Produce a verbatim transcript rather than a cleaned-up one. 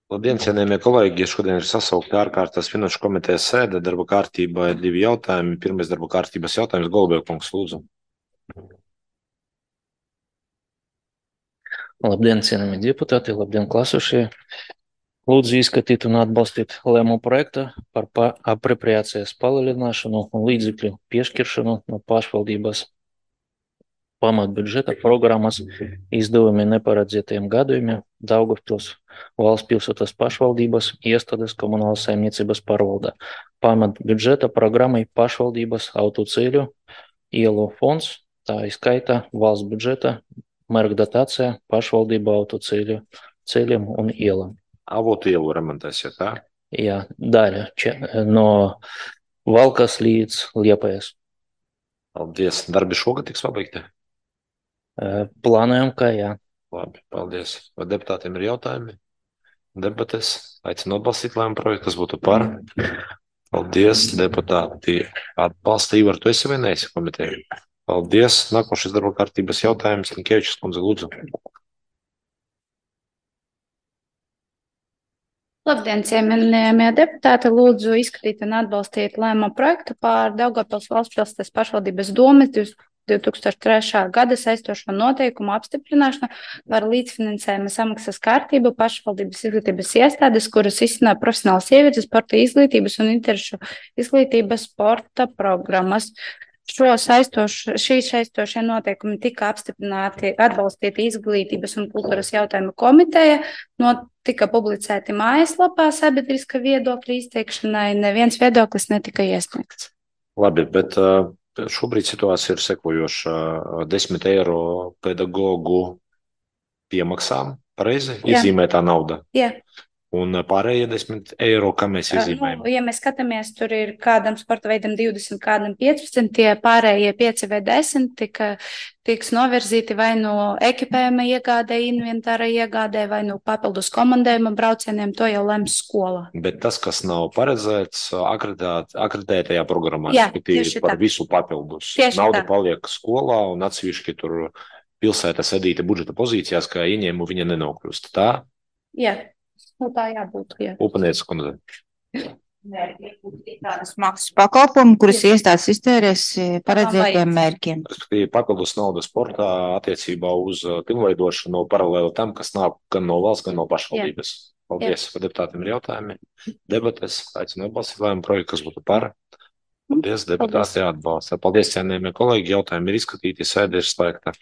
Labdien, cienījamie kolēģi! Šodien ir sasaukta ārkārtas finanšu komitejas sēde. Darba kārtībā ir divi jautājumi. Pirmais darba kārtības jautājums. Golubēv kungs, lūdzu. Labdien, cienījamie deputāti, labdien, klasušie! Lūdzu izskatīt un atbalstīt lēmumu projektu par pa apropriācijas palielināšanu un līdzekļu piešķiršanu no pašvaldības pamatbudžeta programmas izdevumiem neparedzētajiem gadījumiem Daugavpils valsts pilsētas pašvaldības iestādes komunālas saimniecības pārvaldā. Pamatbudžeta programmai pašvaldības autoceļu ielu fonds, tā izskaitā valsts budžeta mērķdotācija pašvaldību autoceļu ceļiem un ielām. Avotu ielu remontēsiet, tā? Jā, daļa če, no Valkas līdz Liepājas. Paldies. Darbi šogad tiks pabeigti? Plānojam, ka jā. Labi, paldies. Vai deputātiem ir jautājumi? Debates. Aicinu atbalstīt lēmumu projektu, kas būtu par. Paldies, deputāti. Atbalsta Ivar, tu esi vai neesi komiteja? Paldies. Nākošais darba kārtības jautājums. Linkēvičs kundze, lūdzu. Labdien, cienījamie deputāti! Lūdzu izskatīt un atbalstīt lēmumu projektu par Daugavpils valsts pilsētas pašvaldības domes divi tūkstoši trešā gada saistošo noteikumu apstiprināšanu par līdzfinansējuma samaksas kārtību pašvaldības izglītības iestādes, kuras izcīnā profesionālas sievietes sporta izglītības un interešu izglītības sporta programmas. Šo saistošu, šī saistošie noteikumi tika apstiprināti, atbalstīti izglītības un kultūras jautājumu komiteja, tika publicēti mājaslapā sabiedriska viedokļa izteikšanai, neviens viedoklis netika iesniegts. Labi, bet šobrīd situācija ir sekojoša. desmit eiro pedagogu piemaksām, pareizi? Iezīmētā nauda. Jā. Un pārējie desmit eiro, kā mēs iezīmējam? Nu, ja mēs skatāmies, tur ir kādam sporta veidam divdesmit, kādam piecpadsmit, tie pārējie pieci vai desmit tika, tiks novirzīti vai no ekipējuma iegādē, inventāra iegādē, vai no papildus komandējuma braucieniem, to jau lems skola. Bet tas, kas nav paredzēts akreditēt, akreditētajā programmā, Jā, respektīvi par tā. Visu papildus. Tieši Nauda tā. paliek skolā un atsevišķi tur pilsēta sadīta budžeta pozīcijās, kā ieņēmu viņa nenokļūst. Tā? Jā. Nu, tā jābūt, jā. Upanieca kundze. Tādas maksas pakalpojumu, kuras iestādes iztērēs paredzētiem mērķiem. Respektīvi papildus nauda sportā attiecībā uz pilnveidošanu paralēli tam, kas nāk gan no valsts, gan no pašvaldības. Paldies. Vai deputātiem ir jautājumi? Debates. Aicinu atbalstīt lēmumu projektu, kas būtu par. Paldies, deputāti atbalsta. Paldies, cienījamie kolēģi. Jautājumi ir izskatīti, sēde ir slēgta.